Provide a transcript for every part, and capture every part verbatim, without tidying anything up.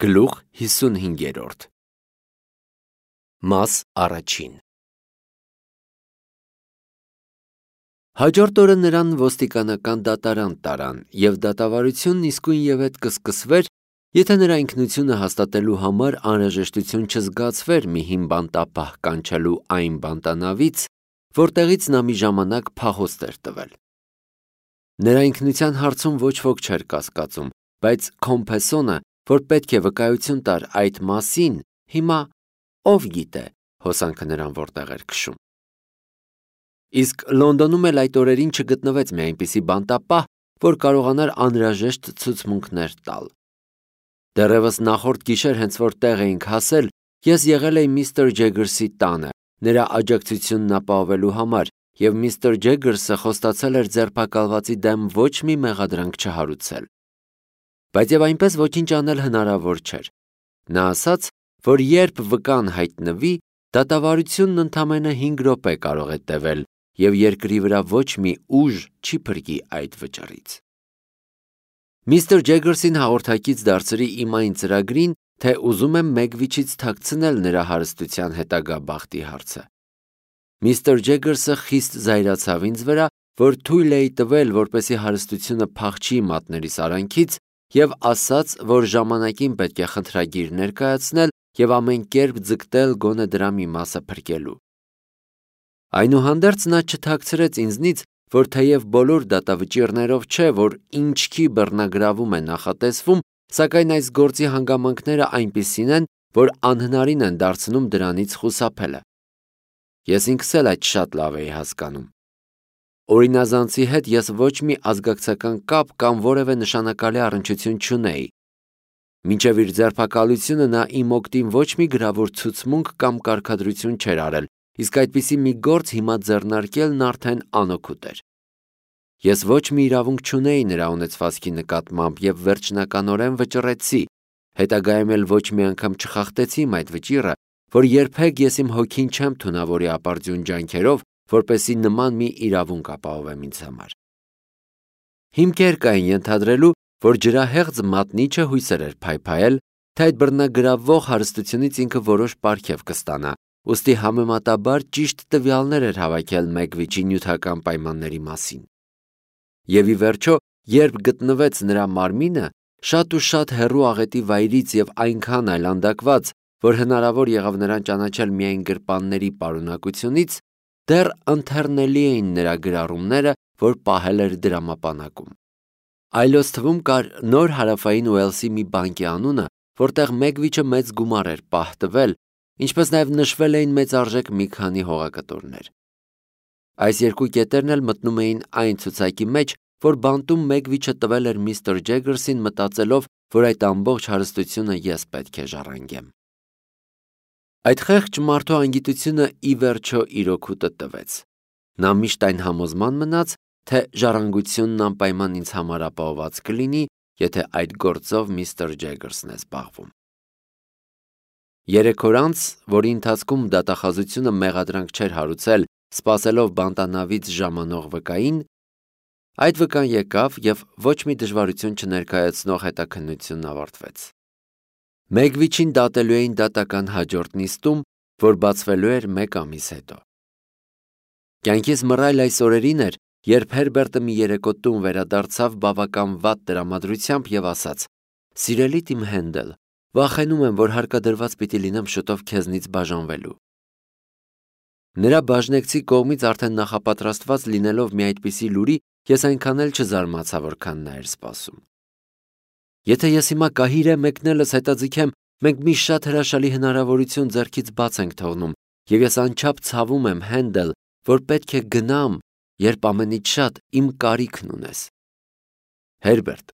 Գլուխ հիսունհինգերորդ Մաս առաջին Հաջորդ օրը նրան ոստիկանական դատարան տարան, և դատավարությունն իսկույն ևեթ կսկսվեր, եթե նրա ինքնությունը հաստատելու համար անհրաժեշտություն չզգացվեր մի հին բանտապահ կանչելու այն բանտանավից, որտեղից նա մի ժամանակ փախոստ էր տվել։ Նրա ինքնության հարցում ոչ ոք չէր կասկածում, բայց Քոմփեսոնը, որ պետք է վկայություն տար այդ մասին, հիմա ով գիտե հոսանքը նրան որտեղ էր քշում։ Իսկ Լոնդոնում էլ այդ օրերին չգտնվեց մի այնպիսի բանտապահ, որ կարողանար անհրաժեշտ ցուցմունքներ տալ։ Դեռևս նախորդ գիշեր, հենց որ տեղ էինք հասել, ես եղել էի միստր Ջեգերսի տանը, նրա աջակցությունն ապահովելու համար, և միստր Ջեգերսը խոստացել էր ձերբակալվածի դեմ ոչ մի մեղադրանք չհարուցել։ Բայց և այնպես ոչինչ անել հնարավոր չէր։ Նա ասաց, որ երբ վկան հայտնվի, դատավարությունն ընդամենը հինգ րոպե կարող է տևել, և երկրի վրա ոչ մի ուժ չի փրկի այդ վճռից։ Միստր Ջեգերսին հաղորդակից դարձրի իմ այն ծրագրին, թե ուզում եմ Մեգվիչից թաքցնել նրա հարստության հետագա բախտի հարցը։ Միստր Ջեգերսը խիստ զայրացավ ինձ վրա, որ թույլ էի տվել, որպեսզի հարստությունը փախչի մատներիս արանքից, և ասաց, որ ժամանակին պետք է խնդրագիր ներկայացնել և ամեն կերպ ձգտել գոնե դրա մի մասը փրկելու։ Այնուհանդերձ նա չթաքցրեց ինձնից, որ թեև բոլոր դատավճիռներով չէ, որ ինչքի բռնագրավում է նախատեսվում, սակայն այս գործի հանգամանքները այնպիսին են, որ անհնարին են դարձնում դրանից խուսափելը։ Ես ինքս էլ այդ շատ լավ էի հասկանում։ Օրինազանցի հետ ես ոչ մի ազգակցական կապ կամ որևէ նշանակալի առնչություն չունեի։ Մինչև իր ձերբակալությունը նա իմ օգտին ոչ մի գրավոր ցուցմունք կամ կարգադրություն չէր արել, իսկ այդպիսի մի գործ հիմա ձեռնարկելն արդեն անօգուտ էր։ Ես ոչ մի իրավունք չունեի նրա ունեցվածքի նկատմամբ և վերջնականորեն վճռեցի, հետագայում էլ ոչ մի անգամ չխախտեցի իմ այդ վճիռը, որ երբեք ես իմ հոգին չեմ թունավորի ապարդյուն ջանքերով, որպեսզի նման մի իրավունք ապահովեմ ինձ համար։ Հիմքեր կային ենթադրելու, որ ջրահեղձ մատնիչը հույսեր էր փայփայել, թե այդ բռնագրավող հարստությունից ինքը որոշ պարգև կստանա, ուստի համեմատաբար ճիշտ տվյալներ էր հավաքել Մեգվիչի նյութական պայմանների մասին։ Եվ ի վերջո, երբ գտնվեց նրա մարմինը, շատ ու շատ հեռու աղետի վայրից և այնքան այլանդակված, որ հնարավոր եղավ նրան ճանաչել միայն գրպանների պարունակությունից, դեռ ընթեռնելի էին նրա գրառումները, որ պահել էր դրամապանակում։ Այլոց թվում կար Նոր Հարավային Ուելսի մի բանկի անունը, որտեղ Մեգվիչը մեծ գումար էր պահ տվել, ինչպես նաև նշվել էին մեծարժեք մի քանի հողակտորներ։ Այս երկու կետերն էլ մտնում էին այն ցուցակի մեջ, որ բանտում Մեգվիչը տվել էր միստր Ջեգերսին, մտածելով, որ այդ ամբողջ հարստությունը ես պետք է ժառանգեմ։ Այդ խեղճ մարդու անգիտությունը ի վերջո իր օգուտը տվեց։ Նա միշտ այն համոզման մնաց, թե ժառանգությունն անպայման ինձ համար ապահովված կլինի, եթե այդ գործով միստր Ջեգերսն է զբաղվում։ Երեք օր անց, որի ընթացքում դատախազությունը մեղադրանք չէր հարուցել, սպասելով բանտանավից ժամանող վկային, այդ վկան եկավ և ոչ մի դժվարություն չներկայացնող հետաքննությունն ավարտվեց։ Մեգվիչին դատելու էին դատական հաջորդ նիստում, որ բացվելու էր մեկ ամիս հետո։ Կյանքիս մռայլ այս օրերին էր, երբ Հերբերտը մի երեկո տուն վերադարձավ բավական վատ տրամադրությամբ և ասաց. «Սիրելի իմ Հենդել, վախենում եմ, որ հարկադրված պիտի լինեմ շուտով քեզնից բաժանվելու»։ Նրա բաժնեկցի կողմից արդեն նախապատրաստված լինելով մի այդպիսի լուրի, ես այնքան էլ չզարմացա, որքան նա էր սպասում։ Եթե ես հիմա կահիրե մեկնելս հետաձգեմ, մենք մի շատ հրաշալի հնարավորություն ձեռքից բաց ենք թողնում, և ես անչափ ցավում եմ, Հենդել, որ պետք է գնամ, երբ ամենից շատ իմ կարիքն ունես։ Հերբերտ,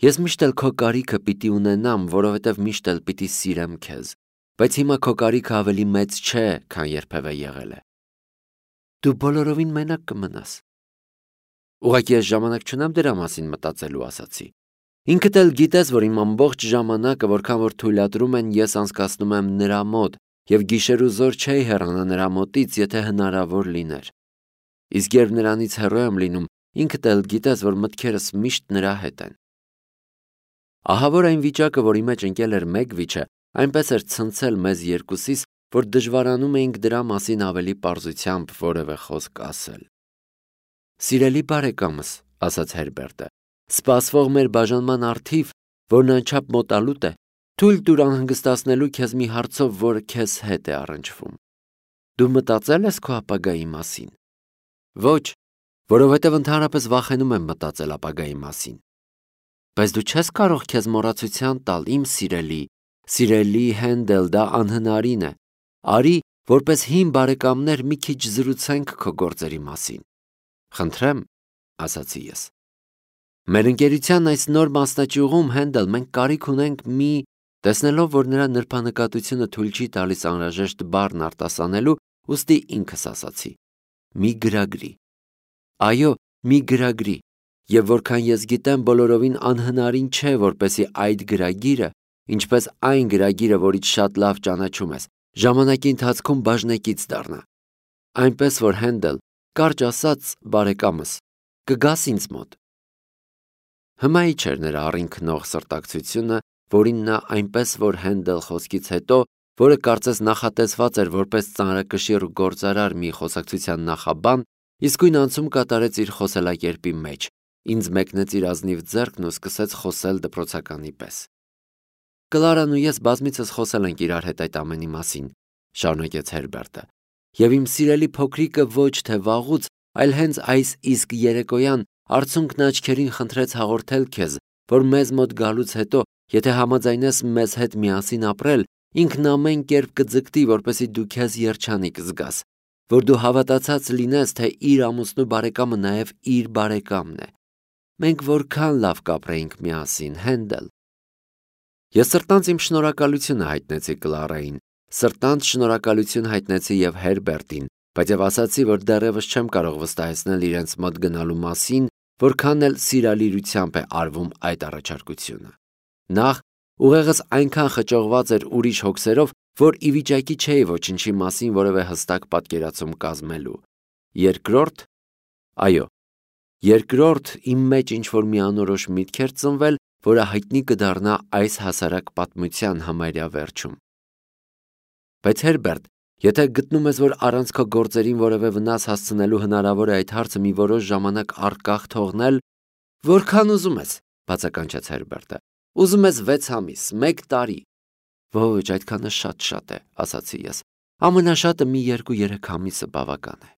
ես միշտ էլ քո կարիքը պիտի ունենամ, որովհետև միշտ էլ պիտի սիրեմ քեզ, բայց հիմա քո կարիքը ավելի մեծ չէ, քան երբևէ եղել է։ Դու բոլորովին մենակ կմնաս։ Ուղղակի ես ժամանակ չունեմ դրա մասին մտածելու, ասացի։ Ինքդ էլ գիտես, որ իմ ամբողջ ժամանակը, որքան որ թույլատրում են, ես անցկացնում եմ նրա մոտ, և գիշեր ու զօր չէի հեռանա նրա մոտից, եթե հնարավոր լիներ։ Իսկ երբ նրանից հեռու եմ լինում, ինքդ էլ գիտես, որ մտքերս միշտ նրա հետ են։ Ահա որ այն վիճակը, որի մեջ ընկել էր մեկ վիճը, այնպես էր ցնցել մեզ երկուսիս, որ դժվարանում էինք դրա մասին ավելի պարզությամբ որևէ խոսք ասել։ Սիրելի բարեկամս, ասաց Հերբերտը, սպասվող մեր բաժանման առթիվ, որն անչափ մոտալուտ է, թույլ տուր անհանգստացնելու քեզ մի հարցով, որը քեզ հետ է առնչվում։ Դու մտածել ես քո ապագայի մասին։ Ոչ, որովհետև ընդհանրապես վախենում եմ մտածել ապագայի մասին։ Բայց դու չես կարող քեզ մոռացության տալ, իմ սիրելի, սիրելի Հենդել, դա անհնարին է։ Արի, որպես հին բարեկամներ մի քիչ զրուցենք քո գործերի մասին։ Խնդրեմ, ասացի ես։ Մեր ընկերության այս նոր մասնաճյուղում, Հենդել, մենք կարիք ունենք մի, տեսնելով, որ նրա նրբանկատությունը թույլ չի տալիս անհրաժեշտ բառն արտասանելու, ուստի ինքս ասացի. մի գրագրի։ Այո, մի գրագրի, եւ որքան ես գիտեմ, բոլորովին անհնարին չէ, որպեսզի այդ գրագիրը, ինչպես այն գրագիրը, որից շատ լավ ճանաչում ես, ժամանակի ընթացքում բաժնեկից դառնա։ Այնպես որ Հենդել, կարճ ասած, բարեկամս, կգաս ինձ մոտ։ Հմայի չէր նրա առինքնող սրտակցությունը, որին նա այնպես որ Հենդել խոսքից հետո, որը կարծես նախատեսված էր որպես ծանրակշիռ ու գործարար մի խոսակցության նախաբան, իսկույն անցում կատարեց իր խոսելակերպի մեջ, ինձ մեկնեց իր ազնիվ ձեռքն ու սկսեց խոսել դպրոցականի պես։ Կլարան ու ես բազմիցս խոսել ենք իրար հետ այդ ամենի մասին, շարունակեց Հերբերտը, եւ իմ սիրելի փոքրիկը ոչ թե վաղուց, այլ հենց այս իսկ երեկոյան արցունքն աչքերին խնդրեց հաղորդել քեզ, որ մեզ մոտ գալուց հետո, եթե համաձայնես մեզ հետ միասին ապրել, ինքն ամեն կերպ կձգտի, որպեսզի դու քեզ երջանիկ զգաս, որ դու հավատացած լինես, թե իր ամուսնու բարեկամը նաև իր բարեկամն է։ Մենք որքան լավ կապրեինք միասին, Հենդել։ Ես սրտանց իմ շնորհակալությունը հայտնեցի Կլարային, սրտանց շնորհակալություն հայտնեցի եւ Հերբերտին, բայց եւ ասացի, որ դեռևս չեմ կարող վստահեցնել իրենց մոտ գնալու մասին, որքան էլ սիրալիրությամբ է արվում այդ առաջարկությունը։ Նախ ուղեղս այնքան խճողված էր ուրիշ հոգսերով, որ ի վիճակի չէի ոչինչի մասին որևէ հստակ պատկերացում կազմելու։ Երկրորդ, այո, երկրորդ իմ մեջ ինչ-որ մի անորոշ միտք էր ծնվել, որը հայտնի կդառնա այս հասարակ պատմության համարյա վերջում։ Բայց Հերբերտ, եթե գտնում ես, որ առանց քո գործերին որևէ վնաս հասցնելու հնարավոր է այդ հարցը մի որոշ ժամանակ առկախ թողնել, որքան ուզում ես, բացականչեց Հերբերտը։ Ուզում ես վեց ամիս, մեկ տարի։ Ոչ, այդքանը շատ-շատ է, ասացի ես։ Ամենաշատը մի երկու-երեք ամիսը բավական է։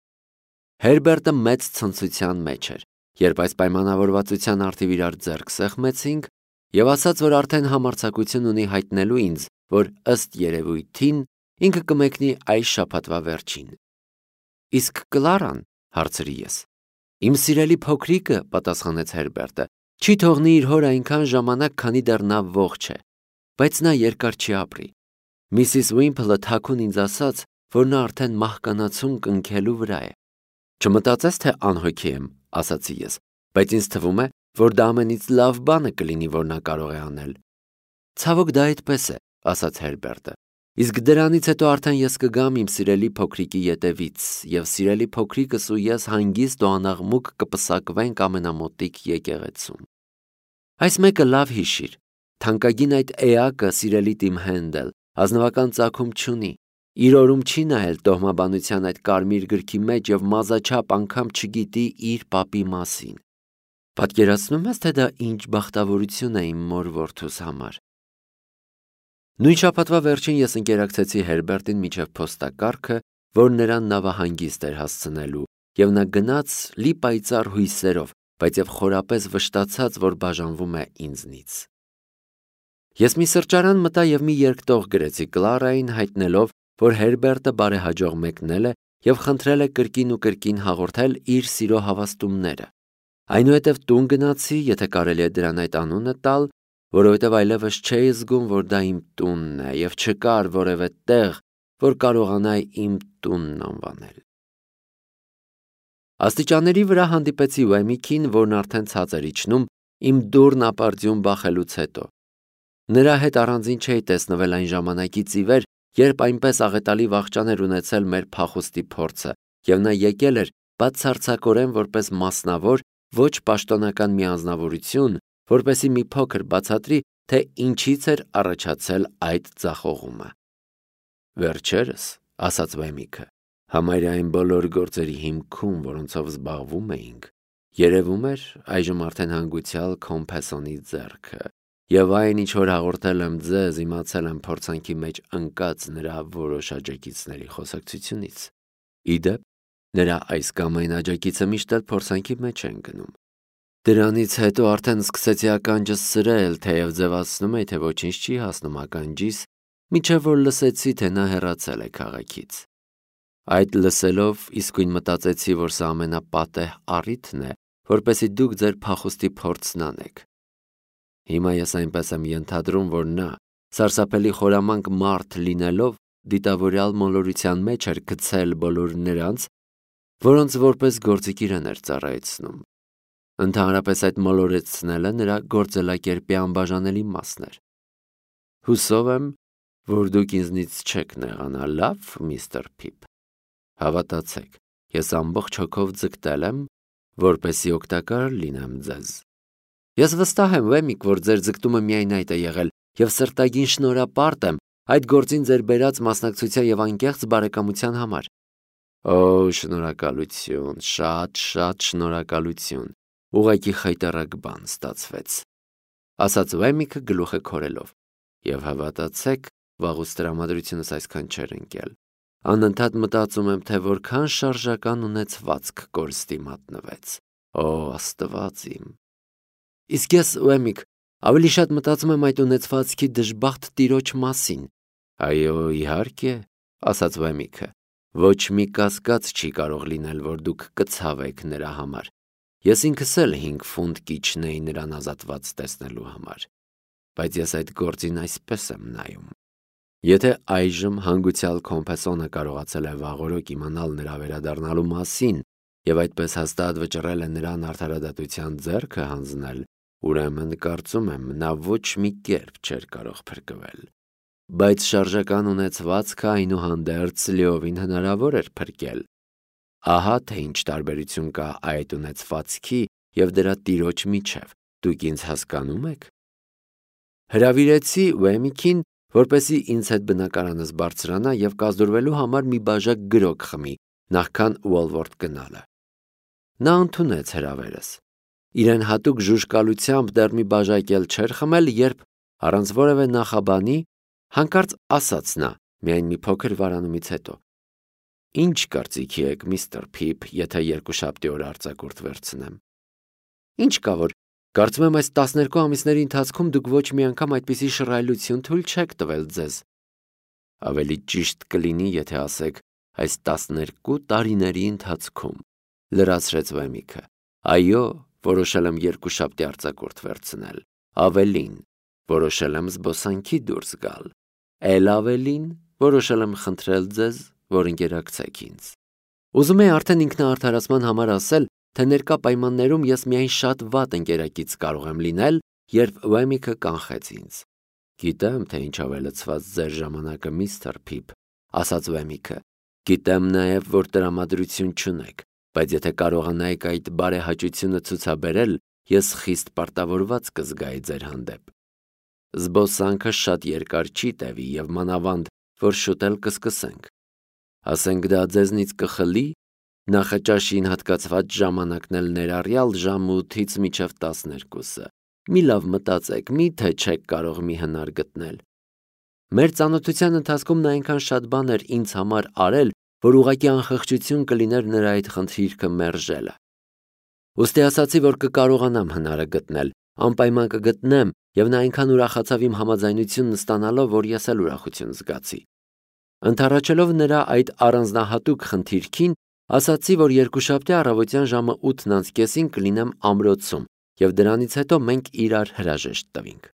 Հերբերտը մեծ ցնծության մեջ էր, երբ այս պայմանավորվածության առթիվ իրար ձեռք սեղմեցինք, եւ ասաց, որ արդեն համարձակություն ունի հայտնելու ինձ, որ ըստ երևույթին ինքը կմեկնի այս շաբաթվա վերջին։ Իսկ Կլարան, հարցրի ես։ Իմ սիրելի փոքրիկը, պատասխանեց Հերբերտը, չի թողնի իր հոր այնքան ժամանակ, քանի դեռ նա ողջ է, բայց նա երկար չի ապրի։ Միսիս Ուիմփլը թաքուն ինձ ասաց, որ նա արդեն մահկանացուն կնքելու վրա է։ Չմտածես, թե անհոգի եմ, ասացի ես, բայց ինձ թվում է, որ դա ամենից լավ բանը կլինի, որ նա կարող է անել։ Ցավոք դա այդպես է, ասաց Հերբերտը։ Իսկ դրանից հետո արդեն ես կգամ իմ սիրելի փոքրիկի ետևից, եւ սիրելի փոքրիկս ու ես հանգիստ ու անաղմուկ կպսակվենք ամենամոտիկ եկեղեցում։ Այս մեկը լավ հիշիր, թանկագին այդ էակը, սիրելի Տիմ Հենդել, ազնվական ծագում չունի, իր օրում չի նայել տոհմաբանության այդ կարմիր գրքի մեջ եւ մազաչափ անգամ չգիտի իր պապի մասին։ Պատկերացնում ես, թե դա ինչ բախտավորություն է իմ մոր որդուս համար։ Նույն շաբաթվա վերջին ես ընկերակցեցի Հերբերտին միջև փոստակառքը, որ նրան նավահանգիստ էր հասցնելու, եւ նա գնաց լի պայծառ հույսերով, բայց եւ խորապես վշտացած, որ բաժանվում է ինձնից։ Ես մի սրճարան մտա եւ մի երկտող գրեցի Կլարային, հայտնելով, որ Հերբերտը բարեհաջող մեկնել է եւ խնդրել է կրկին ու կրկին հաղորդել իր սիրո հավաստումները։ Այնուհետև տուն գնացի, եթե կարելի է դրան այդ անունը տալ, որովհետև այլևս չէի զգում, որ դա իմ տունն է եւ չկար որևէ տեղ, որ կարողանայի իմ տունն անվանել։ Աստիճանների վրա հանդիպեցի Ուեմիքին, որն արդեն ցած էր իջնում իմ դուռն ապարդյուն բախելուց հետո։ Նրա հետ առանձին չէի տեսնվել այն ժամանակից ի վեր, երբ այնպես աղետալի վախճան էր ունեցել մեր փախուստի փորձը, եւ նա եկել էր բացարձակորեն որպես մասնավոր, ոչ պաշտոնական մի անձնավորություն, որպեսի մի փոքր բացատրի, թե ինչից էր առաջացել այդ ձախողումը։ Վերջերս, ասաց Վեմիքը, համարյա այն բոլոր գործերի հիմքում, որոնցով զբաղվում էինք, երևում էր այժմ արդեն հանգուցյալ Կոմպեսոնի ձեռքը, եւ այն, ինչ որ հաղորդել եմ ձեզ, իմացել եմ փորձանքի մեջ ընկած նրա որոշ աջակիցների խոսակցությունից։ Իդեպ, նրա այս կամ այն աջակիցը միշտ էլ փորձանքի մեջ են գնում։ Դրանից հետո արդեն սկսեցի ականջս սրել, թեև ձևացնում էի, թե ոչինչ չի հասնում ականջիս, մինչև որ լսեցի, թե նա հեռացել է քաղաքից։ Այդ լսելով իսկույն մտածեցի, որ սա ամենապատեհ առիթն է, որպեսզի դուք ձեր փախուստի փորձն անեք։ Հիմա ես այնպես եմ ենթադրում, որ նա, սարսափելի խորամանկ մարդ լինելով, դիտավորյալ մոլորության մեջ էր գցել բոլոր նրանց, որոնց որպես գործիք իրեն էր ծառայեցնում։ Ընդհանրապես այդ մոլորեցնելը նրա գործելակերպի անբաժանելի մասն էր։ Հուսով եմ, որ դուք ինձնից չեք նեղանա, լավ, միստր Փիփ։ Հավատացեք, ես ամբողջ հոգով ձգտել եմ, որպեսզի օգտակար լինեմ ձեզ։ Ես վստահ եմ, Վեմիկ, որ ձեր ձգտումը միայն այդ է եղել, եւ սրտագին շնորհապարտ եմ այդ գործին ձեր բերած մասնակցության եւ անկեղծ բարեկամության համար։ Օ, շնորհակալություն, շատ-շատ շնորհակալություն։ Ուղղակի խայտառակ բան ստացվեց, ասաց Վեմիքը գլուխը քորելով, եւ հավատացեք, վաղուց տրամադրությունս այսքան չէր ընկել։ Անընդհատ մտածում եմ, թե որքան շարժական ունեցվածք կորստի մատնվեց։ Օ, Աստված իմ։ Իսկ ես, Վեմիկ, ավելի շատ մտածում եմ այդ ունեցվածքի դժբախտ տիրոջ մասին։ Այո, իհարկե, ասաց Վեմիքը, ոչ մի կասկած չի կարող լինել, որ դուք կցավեք նրա համար։ Ես ինքս էլ հինգ ֆունտ կիջնեի նրան ազատված տեսնելու համար, բայց ես այդ գործին այսպես եմ նայում։ Եթե այժմ հանգուցյալ Կոմպեսոնը կարողացել է վաղօրոք իմանալ նրա վերադառնալու մասին եւ այդպես հաստատ վճռել է նրան արդարադատության ձեռքը հանձնել, ուրեմն կարծում եմ, նա ոչ մի կերպ չէր կարող փրկվել։ Բայց շարժական ունեցվածքը այնուհանդերձ լիովին հնարավոր էր փրկել։ Ահա թե ինչ տարբերություն կա այդ ունեցվածքի եւ դրա տիրոջ միջև, դուք ինձ հասկանում եք։ Հրավիրեցի Վեմիկին, որպեսզի ինձ հետ բնակարանս բարձրանա եւ կազդուրվելու համար մի բաժակ գրոկ խմի, նախքան Ուոլվորթ գնալը։ Նա ընդունեց հրավերս։ Իրեն հատուկ ժուժկալությամբ դեռ մի բաժակ էլ չէր խմել, երբ առանց որևէ նախաբանի հանկարծ ասաց նա, միայն մի փոքր վարանումից հետո. Ինչ կարծիքի եք, միստր Փիփ, եթե երկուշաբթի օր արձակուրդ վերցնեմ։ Ինչ կա որ, կարծում եմ այս տասներկու ամիսների ընթացքում դուք ոչ մի անգամ այդպիսի շռայլություն թույլ չեք տվել ձեզ։ Ավելի ճիշտ կլինի, եթե ասեք այս տասներկու տարիների ընթացքում, լրացրեց Վեմիքը։ Այո, որոշել եմ երկուշաբթի արձակուրդ վերցնել։ Ավելին, որոշել եմ զբոսանքի դուրս գալ։ Էլ ավելին, որոշել եմ խնդրել ձեզ, որ ընկերակցեք ինձ։ Ուզում եի արդեն ինքնաարդարացման համար ասել, թե ներկա պայմաններում ես միայն շատ վատ ընկերակից կարող եմ լինել, երբ Վեմիքը կանխեց ինձ։ Գիտեմ, թե ինչով է լցված ձեր ժամանակը, միստր Փիփ, ասաց Վեմիքը։ Գիտեմ նաև, որ տրամադրություն չունեք, բայց եթե կարողանայիք այդ բարեհաճությունը ցուցաբերել, ես խիստ պարտավորված կզգայի ձեր հանդեպ։ Զբոսանքը շատ երկար չի տևի եւ մանավանդ, որ շուտ էլ կսկսենք։ Ասենք դա ձեզնից կխլի, նախաճաշին հատկացված ժամանակն էլ ներառյալ ժամը ութից մինչև տասներկուսը։ Մի լավ մտածեք, միթե չեք կարող մի հնար գտնել։ Մեր ծանոթության ընթացքում նա այնքան շատ բան էր ինձ համար արել, որ ուղղակի անխղճություն կլիներ նրա այդ խնդիրքը մերժելը։ Ուստի ասացի, որ կկարողանամ հնարը գտնել, անպայման կգտնեմ, եւ նա այնքան ուրախացավ իմ համաձայնությունն ստանալով, որ ես էլ ուրախություն զգացի։ Ընդառաջելով նրա այդ առանձնահատուկ խնդիրքին, ասացի, որ երկուշաբթի առավոտյան ժամը ութն անց կեսին կլինեմ ամրոցում, եւ դրանից հետո մենք իրար հրաժեշտ տվինք։